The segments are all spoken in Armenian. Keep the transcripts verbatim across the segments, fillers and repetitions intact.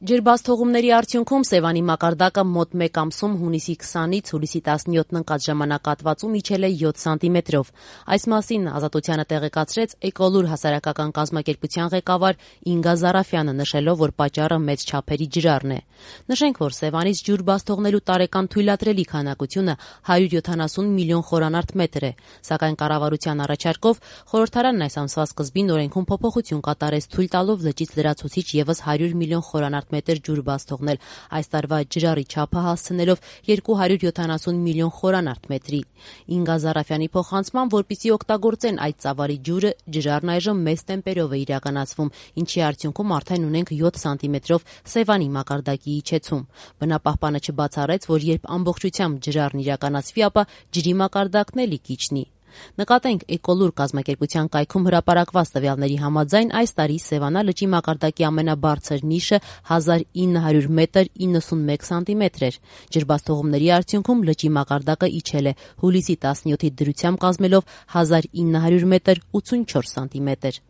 Ջրբացթողումների արդյունքում Սևանի մակարդակը մոտ մեկ ամսում հունիսի քսանից հուլիսի տասնյոթն ընկած ժամանակահատվածում իջել է յոթ սանտիմետրով։ Այս մասին Ազատությանը տեղեկացրեց Էկոլուր հասարակական կազմակերպության ղեկավար Ինգա Զարաֆյանը, նշելով, որ պատճառը մեծ չափերի ջրառն է։ Նշենք, որ Սևանից ջուր բաց թողնելու տարեկան թույլատրելի քանակությունը հարյուր յոթանասուն միլիոն խորանարդ մետր է, սակայն կառավարության առաջարկով խորհրդարանն այս ամսվա սկզբին օրենքում փոփոխություն կատարեց, թույլ տալով լճից լրացուցիչ ևս հարյուր միլիոն խորանարդ մետր ջուր բաց թողնել, այս տարվա ջրառի չափը հասցնելով երկու հարյուր յոթանասուն միլիոն խորանարդ մետրի։ Ինգա Զարաֆյանի փոխանցմամբ, որպեսզի օգտագործեն այդ ծավալի ջուրը, ջրառն այժմ մեծ տեմպերով է իրականացվում, ինչի արդյունքում արդեն ունենք յոթ սանտիմետրով Սևանի մակարդակի իջեցում։ Բնապահպանը չբացառեց, որ երբ ամբողջությամբ ջրառն իրականացվի, ապա ջրի մակարդակն էլի կիջնի։ Նկատենք, Էկոլուր կազմակերպության կայքում հրապարակված տվյալների համաձայն այս տարի Սևանա լճի մակարդակի ամենաբարձր նիշը հազար ինը հարյուր մետր իննսունմեկ սանտիմետր էր։ Ջրբացթողումների արդյունքում լճի մակարդակը իջել է, հուլիսի տասնյոթի դրությամբ կազմելով հազար ինը հարյուր մետր ութսունչորս սանտիմետր։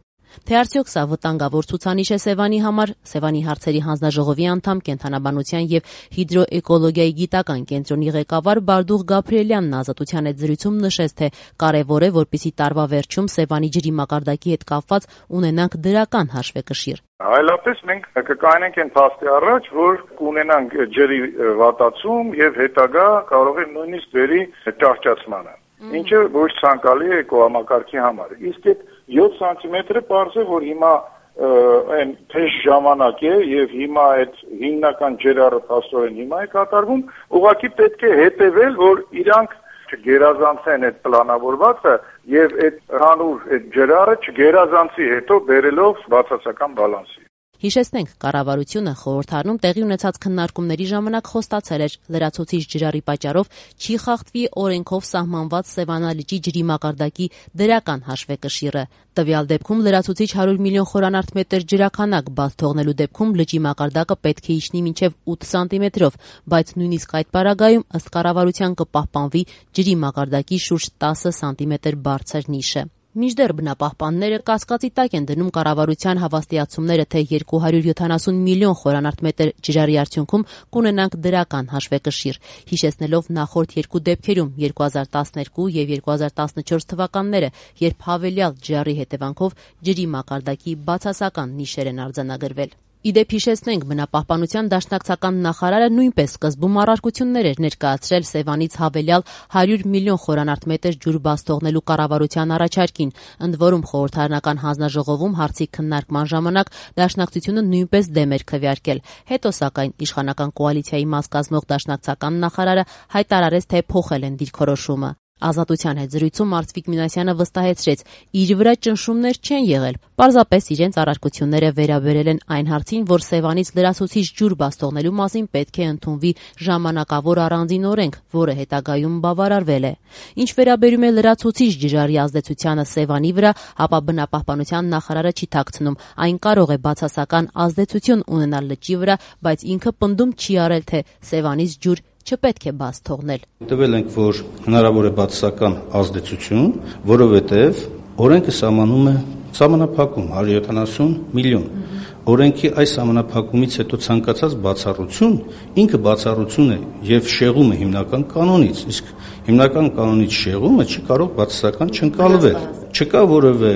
Թե արդյոք սա վտանգավոր ցուցանիշ է Սևանի համար, Սևանի հարցերի հանձնաժողովի անդամ, կենդանաբանության եւ հիդրոէկոլոգիայի գիտական կենտրոնի ղեկավար Բարդուղ Գաբրիելյանն Ազատության հետ զրույցում նշեց, թե կարեւոր է, որպեսզի տարվա վերջում Սևանի ջրի մակարդակի հետ կապված ունենանք դրական հաշվեկշիռ։ Այլապես մենք կկայնենք այն փաստի առաջ, որ կունենանք ջրի վատացում եւ հետագա կարող է նույնիսկ բերի ճահճացմանը, ինչը ոչ ցանկալի է էկոհամակարգի համար։ Իսկ այդ յոթ սանտիմետրը պարզ է, որ հիմա այն թեժ ժամանակ է եւ հիմա այդ հիմնական ջրառը փաստորեն հիմա է կատարվում, ուղղակի պետք է հետեւել, որ իրանք չգերազանցեն այդ պլանավորվածը եւ այդ հանուր այդ ջրառը չգերազանցի հետո բերելով բացասական բալանսի։ Հիշեցնենք, կառավարությունը խորհրդարանում տեղի ունեցած քննարկումների ժամանակ խոստացել էր, լրացուցիչ ջրառի պատճառով չի խախտվի օրենքով սահմանված Սևանա լճի ջրի մակարդակի դրական հաշվեկշիռը։ Տվյալ դեպքում լրացուցիչ հարյուր միլիոն խորանարդ մետր ջրաքանակ բաց թողնելու դեպքում լճի մակարդակը պետք է իջնի մինչև ութ սանտիմետրով, բայց նույնիսկ այդ պարագայում ըստ կառավարության կպահպանվի ջրի մակարդակի շուրջ տասը սանտիմետր բարձր նիշը։ Մինչդեռ բնապահպանները կասկածի տակ են դնում կառավարության հավաստիացումները, թե երկու հարյուր յոթանասուն միլիոն խորանարդ մետր ջրառի արդյունքում կունենանք դրական հաշվեկշիռ, հիշեցնելով նախորդ երկու դեպքերում երկու հազար տասներկու եւ երկու հազար տասնչորս թվականները, երբ հավելյալ ջրառի հետևանքով ջրի մակարդակի բացասական նիշեր են արձանագրվել։ Իդեպ հիշեցնենք, բնապահպանության դաշնակցական նախարարը նույնպես սկզբում առարկություններ էր ներկայացրել Սևանից հավելյալ հարյուր միլիոն խորանարդ մետր ջուր բաց թողնելու կառավարության առաջարկին, ընդ որում խորհրդարանական հանձնաժողովում հարցի քննարկման ժամանակ դաշնակցությունը նույնպես դեմ էր քվեարկել։ Հետո, սակայն, իշխանական կոալիցիայի մաս կազմող դաշնակցական նախարարը հայտարարեց, թե փոխել են դիրքորոշումը։ Ազատության հետ զրույցում Արծվիկ Մինասյանը վստահեցրեց, իր վրա ճնշումներ չեն եղել, պարզապես իրենց առարկությունները վերաբերել են այն հարցին, որ Սևանից լրացուցիչ ջուր բաց թողնելու մասին պետք է ընդունվի ժամանակավոր առանձին օրենք, որը հետագայում բավարարվել է։ Ինչ վերաբերում է լրացուցիչ ջրառի ազդեցությանը Սևանի վրա, ապա բնապահպանության նախարարը չի թաքցնում, այն կարող է բացասական ազդեցություն ունենալ լճի վրա, բայց ինքը պնդում չի արել, թե Սևանից ջուր չպետք է բաց թողնել։ Տվել ենք, որ հնարավոր է բացասական ազդեցություն, որովհետև օրենքը սահմանում է սահմանափակում հարյուր յոթանասուն միլիոն։ Օրենքի այս սահմանափակումից հետո ցանկացած բացառություն ինքը բացառություն է եւ շեղում է հիմնական կանոնից, իսկ հիմնական կանոնից շեղումը չի կարող բացասական չընկալվել։ Չկա որևէ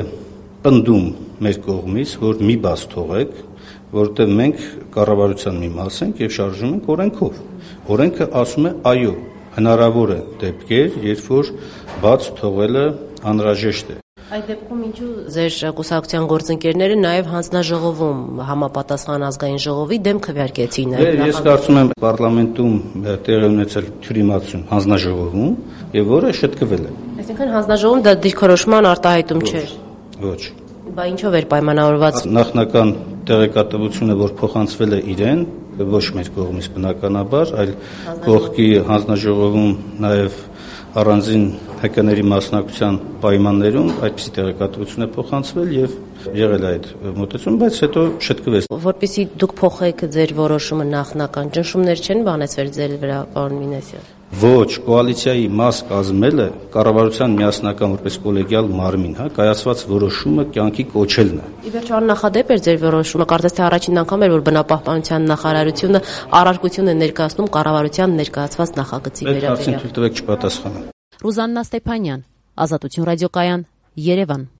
պնդում մեր կողմից, որ մի բաց թողեք, որտեղ մենք կառավարության մի մաս ենք եւ շարժում ենք օրենքով։ Օրենքը ասում է այո, հնարավոր է դեպքեր, երբ որ բաց թողելը անհրաժեշտ է։ Այդ դեպքում ինչու ձեր կուսակցության գործընկերները նաև հանձնաժողովում համապատասխան ազգային ժողովի դեմ քվեարկեցին։ Ես կարծում եմ պարլամենտում տեղի ունեցել թյուրիմացություն հանձնաժողովում եւ որը շտկվել է։ Այսինքն հանձնաժողովում դա դիրքորոշման արտահայտում չէ։ Ոչ։ Բա ինչով էր պայմանավորված։ Նախնական տեղեկատվությունը, որ փոխանցվել է իրեն, ոչ մեր կողմից բնականաբար, այլ կողքի հանձնաժողովում նաև առանձին հեկաների մասնակցության պայմաններում այդպիսի տեղեկատվություն է փոխանցվել եւ եղել այդ մոտեցում, բայց հետո շտկվեց։ Որպեսզի դուք փոխեք ձեր որոշումը նախնական ճնշումներ չեն բանեցվել ձեր վրա, պարոն Մինասյան։ ոչ կոալիցիայի մաս կազմելը կառավարության միասնական որպես կոլեգիալ մարմին, հա, կայացված որոշումը կյանքի կոչելն է։ Ի վերջո աննախադեպ էր ձեր որոշումը, կարծես թե առաջին անգամ էր, որ բնապահպանության նախարարությունը առարկություն է ներկայացնում կառավարության ներկայացված նախագծի վերաբերյալ։ Հարցին թույլ տվեք չպատասխանեմ։ Ռուզաննա Ստեփանյան, Ազատություն ռադիոկայան, Երևան։